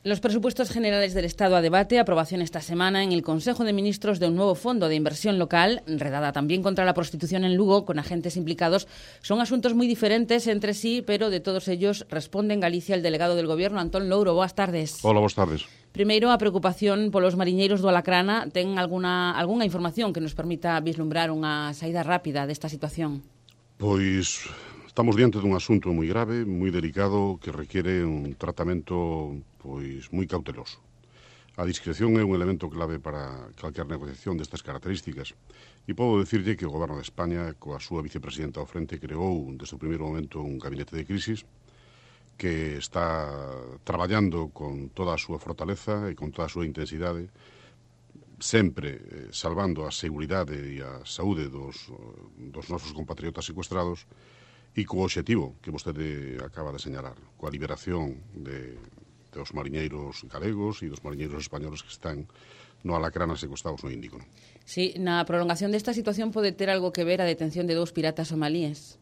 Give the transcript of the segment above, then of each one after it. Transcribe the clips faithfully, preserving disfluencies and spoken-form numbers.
Los presupuestos generales del Estado a debate, aprobación esta semana en el Consejo de Ministros de un nuevo fondo de inversión local, redada también contra la prostitución en Lugo, con agentes implicados. Son asuntos muy diferentes entre sí, pero de todos ellos responde en Galicia el delegado del Gobierno, Antón Louro. Boas tardes. Hola, boas tardes. Primeiro, a preocupación polos mariñeiros do Alacrana. Ten alguna, alguna información que nos permita vislumbrar unha saída rápida desta situación? Pois estamos diante dun asunto moi grave, moi delicado, que requiere un tratamento pois moi cauteloso. A discreción é un elemento clave para calquer negociación destas características. E podo dicirlle que o Goberno de España, coa súa vicepresidenta ao frente, creou desde o primeiro momento un gabinete de crisis que está traballando con toda a súa fortaleza e con toda a súa intensidade, sempre eh, salvando a seguridade e a saúde dos, dos nosos compatriotas secuestrados e co obxectivo que vostede acaba de señalar, coa liberación de, dos mariñeiros galegos e dos mariñeiros españoles que están no Alacrana secuestrados no Índico. Sí, na prolongación desta situación pode ter algo que ver a detención de dous piratas somalíes?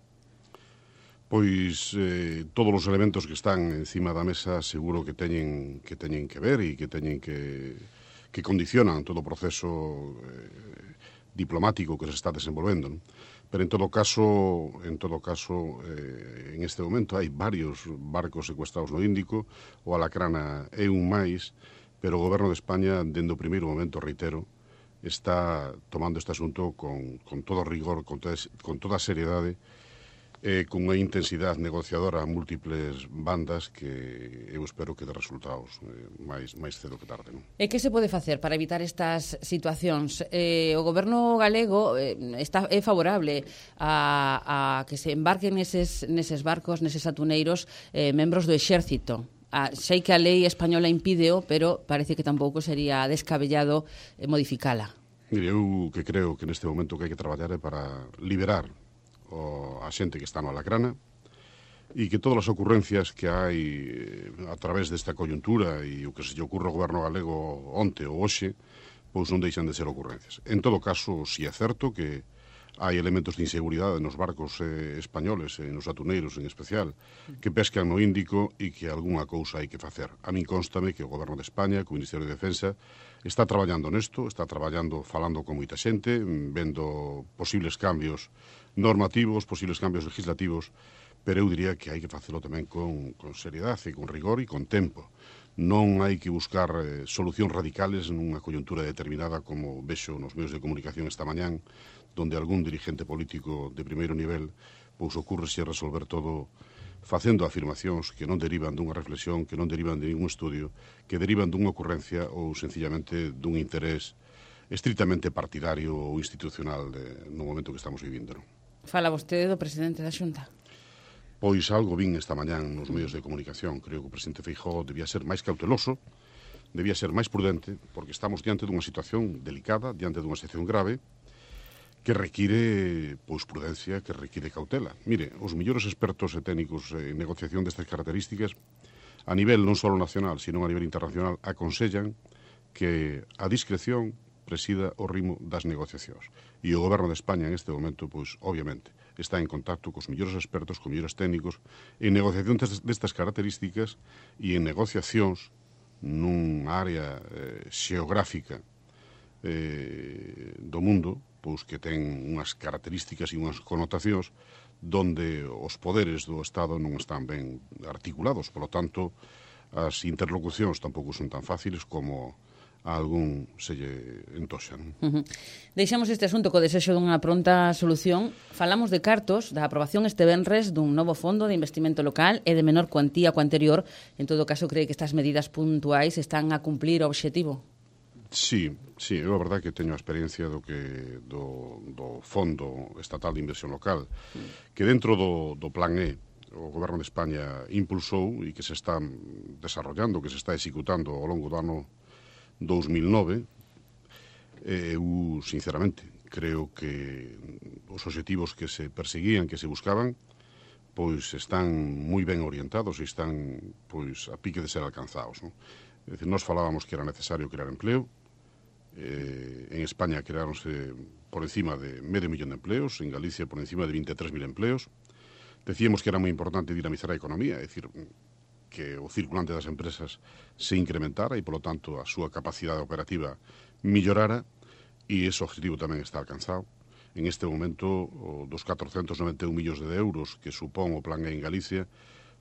Pois eh, todos os elementos que están encima da mesa seguro que teñen que teñen que ver e que teñen que que condicionan todo o proceso eh, diplomático que se está desenvolvendo, non? Pero en todo caso, en todo caso, eh, en este momento hai varios barcos secuestrados no Índico, o Alacrana é un máis, pero o Goberno de España, dende o primeiro momento, reitero, está tomando este asunto con, con todo rigor, con toda, con toda seriedade, eh, con unha intensidade negociadora a múltiples bandas que eu espero que dé resultados eh, máis, máis cedo que tarde. Non? E que se pode facer para evitar estas situacións? Eh, o Goberno galego eh, está, é favorable a, a que se embarquen neses, neses barcos, neses atuneiros, eh, membros do exército. Ah, sei que a lei española impídeo, pero parece que tampouco sería descabellado eh, modificala. Mire, eu que creo que neste momento que hai que traballar é para liberar o a xente que está no Alacrana e que todas as ocurrencias que hai a través desta coyuntura e o que se lle ocurre ao goberno galego onte ou hoxe, pois non deixan de ser ocurrencias. En todo caso, si é certo que hai elementos de inseguridade nos barcos eh, españoles, e nos atuneiros en especial, que pescan no Índico e que algunha cousa hai que facer. A min constame que o Goberno de España, co Ministerio de Defensa, está traballando nesto, está traballando, falando con moita xente, vendo posibles cambios normativos, posibles cambios legislativos, pero eu diría que hai que facelo tamén con, con seriedade, con rigor e con tempo. Non hai que buscar eh, solucións radicales nunha coyuntura determinada, como vexo nos medios de comunicación esta mañán, donde algún dirigente político de primeiro nivel pois ocurre-se resolver todo facendo afirmacións que non derivan dunha reflexión, que non derivan de ningún estudio, que derivan dunha ocurrencia ou sencillamente dun interés estritamente partidario ou institucional de, no momento que estamos vivindo. Non? Fala vostede do presidente da Xunta. Pois algo vin esta mañán nos medios de comunicación. Creo que o presidente Feijóo debía ser máis cauteloso, debía ser máis prudente, porque estamos diante dunha situación delicada, diante dunha situación grave, que require pois prudencia, que require cautela. Mire, os mellores expertos e técnicos en negociación destas características, a nivel non só nacional, sino a nivel internacional, aconsellan que a discreción presida o ritmo das negociacións. E o Goberno de España en este momento, pois, obviamente, está en contacto cos mellores expertos, cos mellores técnicos, en negociación destas características e en negociacións nun área eh, xeográfica eh, do mundo, pois que ten unhas características e unhas connotacións donde os poderes do Estado non están ben articulados. Por lo tanto, as interlocucións tampouco son tan fáciles como a algún se lle entoxa. Non? Uh-huh. Deixamos este asunto co desexo dunha pronta solución. Falamos de cartos, da aprobación este venres dun novo fondo de investimento local e de menor cuantía co anterior. En todo caso, cree que estas medidas puntuais están a cumplir o obxectivo? Sí, sí, é a verdade que teño a experiencia do que do, do Fondo Estatal de Inversión Local, que dentro do, do Plan E, o Goberno de España impulsou e que se está desarrollando, que se está executando ao longo do ano dous mil nove, eu, sinceramente, creo que os obxectivos que se perseguían, que se buscaban, pois están moi ben orientados e están pois a pique de ser alcanzados. Non? É dicir, nós falábamos que era necesario crear empleo, eh, en España creáronse por encima de medio millón de empleos, en Galicia por encima de vinte e tres mil empleos. Decíamos que era moi importante dinamizar a economía, é dicir, que o circulante das empresas se incrementara e, polo tanto, a súa capacidade operativa millorara, e ese objetivo tamén está alcanzado. En este momento, dos catrocentos noventa e un millóns de euros que supón o Plan E en Galicia,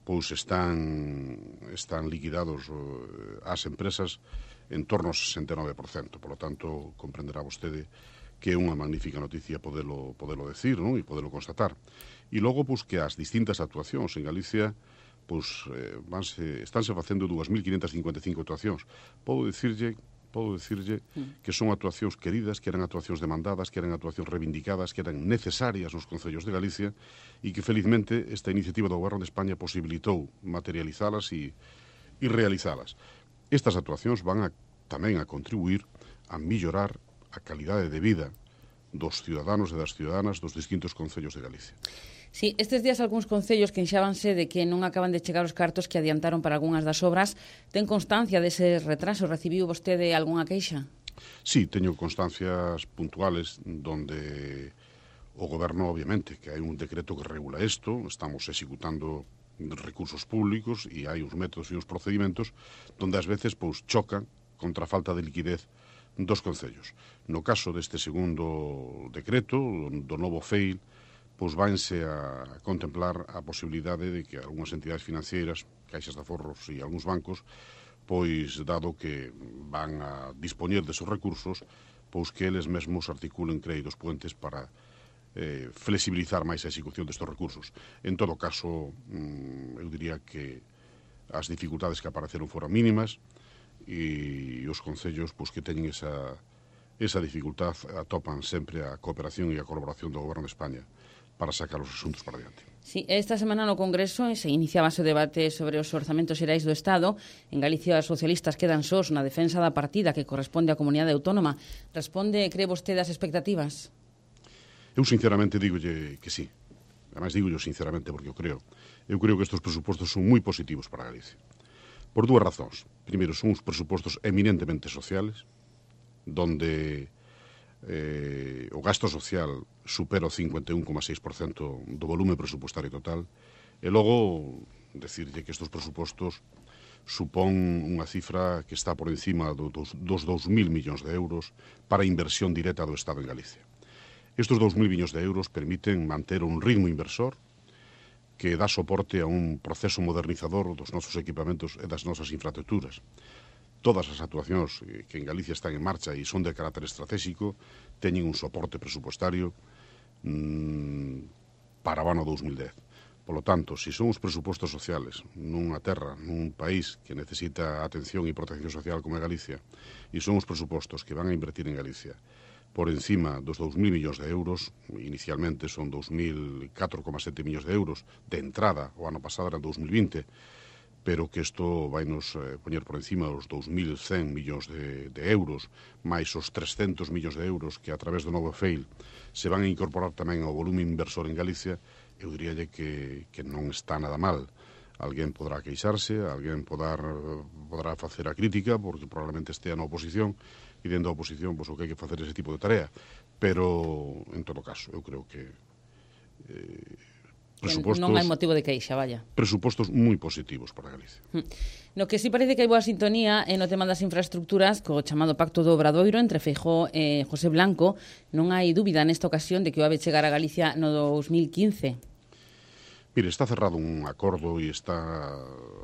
pois están, están liquidados ás empresas en torno ao sesenta e nove por cento. Por lo tanto, comprenderá vostede que é unha magnífica noticia podelo, podelo decir, non? E podelo constatar. E logo, pois, que as distintas actuacións en Galicia, pois, eh, vanse, estánse facendo dúas mil quinhentas cincuenta e cinco actuacións. Podo dicirlle, podo dicirlle que son actuacións queridas, que eran actuacións demandadas, que eran actuacións reivindicadas, que eran necesarias nos concellos de Galicia, e que, felizmente, esta iniciativa do Goberno de España posibilitou materializalas e, e realizalas. Estas actuacións van a, tamén a contribuir a millorar a calidade de vida dos ciudadanos e das ciudadanas dos distintos concellos de Galicia. Sí, estes días algúns concellos queixábanse de que non acaban de chegar os cartos que adiantaron para algunhas das obras. Ten constancia dese retraso? Recibiu vostede algunha queixa? Sí, teño constancias puntuales donde o Goberno, obviamente, que hai un decreto que regula isto, estamos executando recursos públicos e hai uns métodos e uns procedimentos donde ás veces pois chocan contra a falta de liquidez dos concellos. No caso deste segundo decreto, do novo F E I L, pois vanse a contemplar a posibilidade de que algunhas entidades financeiras, caixas de aforros e algúns bancos, pois, dado que van a dispoñer desos recursos, pois que eles mesmos articulen créditos puentes para eh, flexibilizar máis a execución destes recursos. En todo caso, eu diría que as dificultades que apareceron foran mínimas, e os concellos pois, que teñen esa, esa dificultad atopan sempre a cooperación e a colaboración do Goberno de España para sacar os asuntos para diante. Sí, esta semana no Congreso se iniciaba o debate sobre os orzamentos xerais do Estado. En Galicia os socialistas quedan sós na defensa da partida que corresponde á comunidade autónoma. Responde, cree vostede, as expectativas? Eu sinceramente digolle que sí. Ademais digolle sinceramente porque eu creo. Eu creo que estes presupostos son moi positivos para Galicia. Por dúas razóns. Primeiro, son uns presupostos eminentemente sociales, donde eh, o gasto social supera o cincuenta e un coma seis por cento do volume presupostario total, e logo, decirlle que estes presupostos supón unha cifra que está por encima do, dos, dos dous mil millóns de euros para inversión directa do Estado en Galicia. Estes dous mil millóns de euros permiten manter un ritmo inversor que dá soporte a un proceso modernizador dos nosos equipamentos e das nosas infraestructuras. Todas as actuacións que en Galicia están en marcha e son de carácter estratégico teñen un soporte presupostario mmm, para o ano dous mil dez. Por lo tanto, se son os presupostos sociales nunha terra, nun país que necesita atención e protección social como é Galicia, e son os presupostos que van a invertir en Galicia por encima dos dous mil millóns de euros, inicialmente son dous mil catro coma sete millóns de euros de entrada, o ano pasado era dous mil vinte, pero que isto vai nos eh, poñer por encima dos dous mil cen millóns de, de euros, máis os trescentos millóns de euros que a través do novo F E I L se van a incorporar tamén ao volume inversor en Galicia. Eu diríalle que, que non está nada mal. Alguén podrá queixarse, alguén podar, podrá facer a crítica, porque probablemente estea na oposición, e dentro da oposición, pois, o que hai que facer ese tipo de tarea. Pero, en todo caso, eu creo que eh, presupostos... Non hai motivo de queixa, vaya. Presupostos moi positivos para Galicia. No que sí parece que hai boa sintonía é no tema das infraestructuras, co chamado Pacto do Obradoiro entre Feijóo e José Blanco. Non hai dúbida nesta ocasión de que o ave chegar a Galicia no dous mil quince. Mire, está cerrado un acordo e está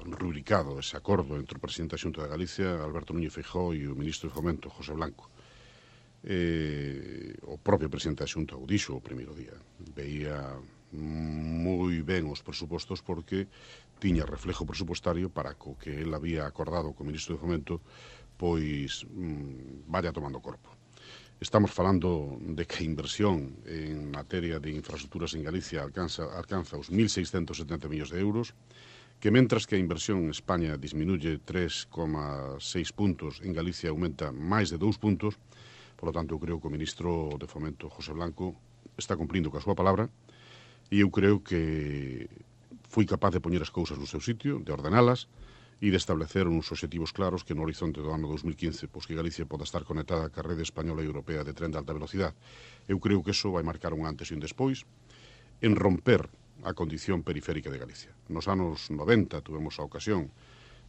rubricado ese acordo entre o presidente da Xunta de Galicia, Alberto Núñez Feijóo, e o ministro de Fomento, José Blanco. Eh, o propio presidente da Xunta o dixo o primeiro día. Veía moi ben os presupostos porque tiña reflejo presupostario para co que el había acordado co ministro de Fomento, pois mmm, vaya tomando corpo. Estamos falando de que a inversión en materia de infraestructuras en Galicia alcanza, alcanza os mil seiscentos setenta millóns de euros, que mentras que a inversión en España disminuye tres coma seis puntos, en Galicia aumenta máis de dous puntos. Por lo tanto, eu creo que o ministro de Fomento, José Blanco, está cumplindo coa súa palabra, e eu creo que fui capaz de poñer as cousas no seu sitio, de ordenalas, e de establecer uns obxectivos claros que no horizonte do ano dous mil quince pois que Galicia poda estar conectada ca rede española e europea de tren de alta velocidade. Eu creo que eso vai marcar un antes e un despois en romper a condición periférica de Galicia. Nos anos noventa tuvemos a ocasión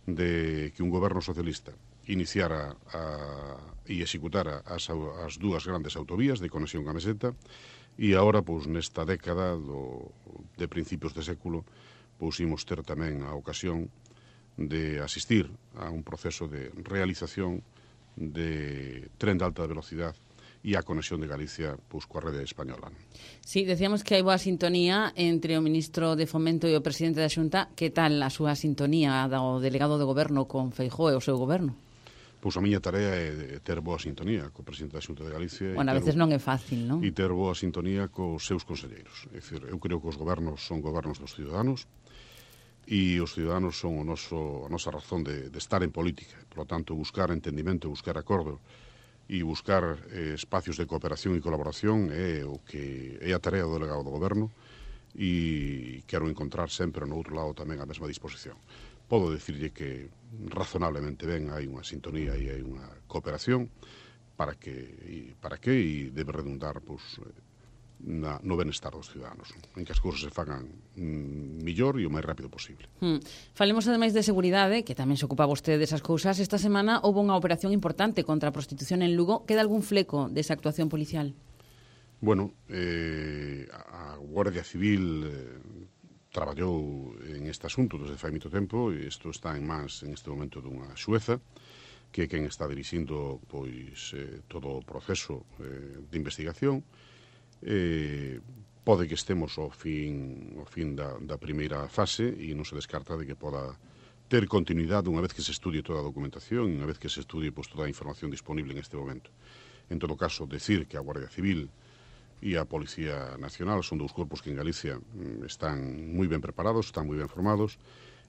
de que un goberno socialista iniciara a, e executara as, as dúas grandes autovías de conexión a Meseta, e agora, pois, nesta década do, de principios de século, pois imos ter tamén a ocasión de asistir a un proceso de realización de tren de alta velocidade e a conexión de Galicia pois, coa rede española. Sí, decíamos que hai boa sintonía entre o ministro de Fomento e o presidente da Xunta. Que tal a súa sintonía do delegado de goberno con Feijóo e o seu goberno? Pois a miña tarea é ter boa sintonía co presidente da Xunta de Galicia. Bueno, a veces non é fácil, non? E ter boa sintonía cos seus conselleiros. É dicir, eu creo que os gobernos son gobernos dos ciudadanos, e os ciudadanos son o noso, a nosa razón de, de estar en política. Por lo tanto, buscar entendimento, buscar acordo e buscar eh, espacios de cooperación e colaboración é o que é a tarea do delegado do goberno, e quero encontrar sempre no outro lado tamén a mesma disposición. Podo dicirlle que razonablemente ben hai unha sintonía e hai unha cooperación para que e, para que e debe redundar pois, Na, no benestar dos ciudadanos, en que as cousas se fagan mm, millor e o máis rápido posible. Hmm. Falemos ademais de seguridade, que tamén se ocupa vostede desas cousas. Esta semana houve unha operación importante contra a prostitución en Lugo. Queda algún fleco desa actuación policial? Bueno, eh, a Guardia Civil eh, traballou en este asunto desde fai moito tempo, e isto está en mans en este momento dunha xueza, que é quen está dirixindo pois, eh, todo o proceso eh, de investigación. Eh, pode que estemos ao fin, ao fin da, da primeira fase, e non se descarta de que poda ter continuidade unha vez que se estudie toda a documentación e unha vez que se estudie pois, toda a información disponible en este momento. En todo caso, decir que a Guardia Civil e a Policía Nacional son dous corpos que en Galicia están moi ben preparados, están moi ben formados,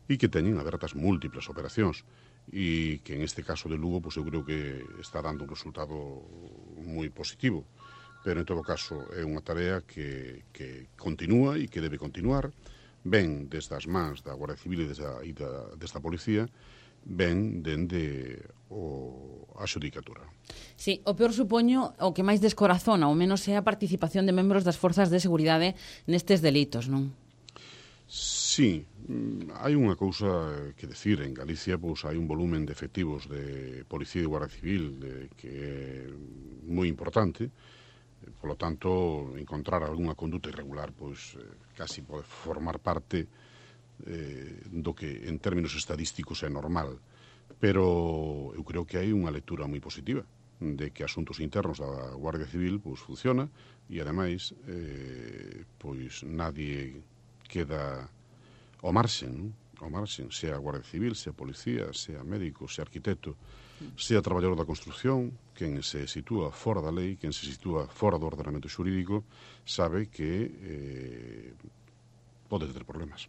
e que teñen abertas múltiples operacións, e que en este caso de Lugo pois, eu creo que está dando un resultado moi positivo. Pero, en todo caso, é unha tarea que, que continúa e que debe continuar, ben desde as mans da Guardia Civil e desta, e da, desta Policía, ben dende o, a xudicatura. Sí, o peor supoño, o que máis descorazona, ao menos é a participación de membros das forzas de seguridade nestes delitos, non? Sí, hai unha cousa que decir. En Galicia pois, hai un volumen de efectivos de Policía e de Guardia Civil de, que é moi importante. Por lo tanto, encontrar algunha conduta irregular pois eh, casi pode formar parte eh, do que en términos estadísticos é normal. Pero eu creo que hai unha lectura moi positiva de que asuntos internos da Guardia Civil pois funciona, e ademais eh, pois nadie queda ao marxen, non? Ao marxen, sea Guardia Civil, sea policía, sea médico, sea arquitecto, sea traballador da construción. Quen se sitúa fora da lei, quen se sitúa fora do ordenamento xurídico, sabe que eh, pode ter problemas.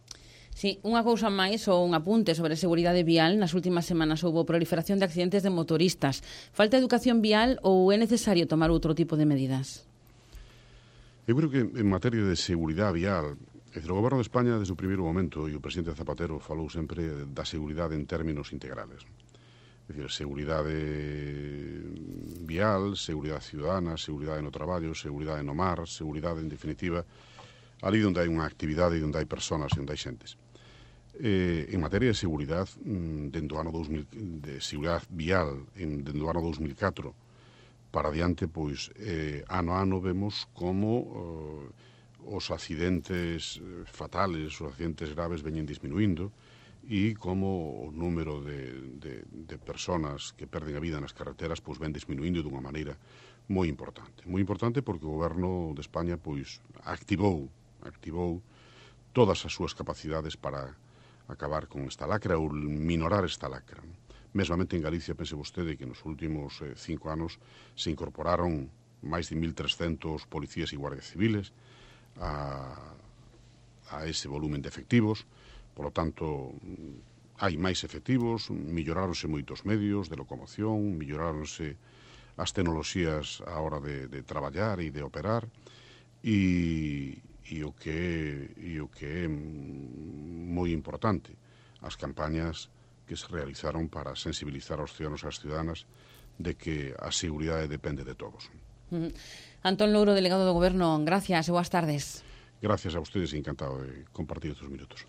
Sí, unha cousa máis ou un apunte sobre a seguridade vial. Nas últimas semanas houve proliferación de accidentes de motoristas. Falta educación vial ou é necesario tomar outro tipo de medidas? Eu creo que en materia de seguridade vial, o Goberno de España, desde o primeiro momento, e o presidente Zapatero falou sempre da seguridade en términos integrales. É dicir, seguridade vial, seguridade ciudadana, seguridade no traballo, seguridade no mar, seguridade, en definitiva, ali onde hai unha actividade e onde hai personas e onde hai xentes. Eh, en materia de seguridade, dentro do ano dos mil, de seguridade vial, en, dentro do ano dos mil catro para adiante, pois, eh, ano a ano vemos como eh, os accidentes fatales, os accidentes graves veñen disminuindo, e como o número de, de, de personas que perden a vida nas carreteras pois ven disminuindo dunha maneira moi importante. Moi importante porque o Goberno de España pois activou, activou todas as súas capacidades para acabar con esta lacra ou minorar esta lacra. Mesmamente en Galicia, pense vostede que nos últimos eh, cinco anos se incorporaron máis de mil trescentos policías e guardias civiles a, a ese volumen de efectivos. Por lo tanto, hai máis efectivos, melloráronse moitos medios de locomoción, melloráronse as tecnoloxías á hora de, de traballar e de operar, e, e, o que é, e o que é moi importante, as campañas que se realizaron para sensibilizar aos ciudadanos e as ciudadanas de que a seguridade depende de todos. Mm. Antón Louro, delegado do Goberno, gracias e boas tardes. Gracias a ustedes y encantado de compartir estos minutos.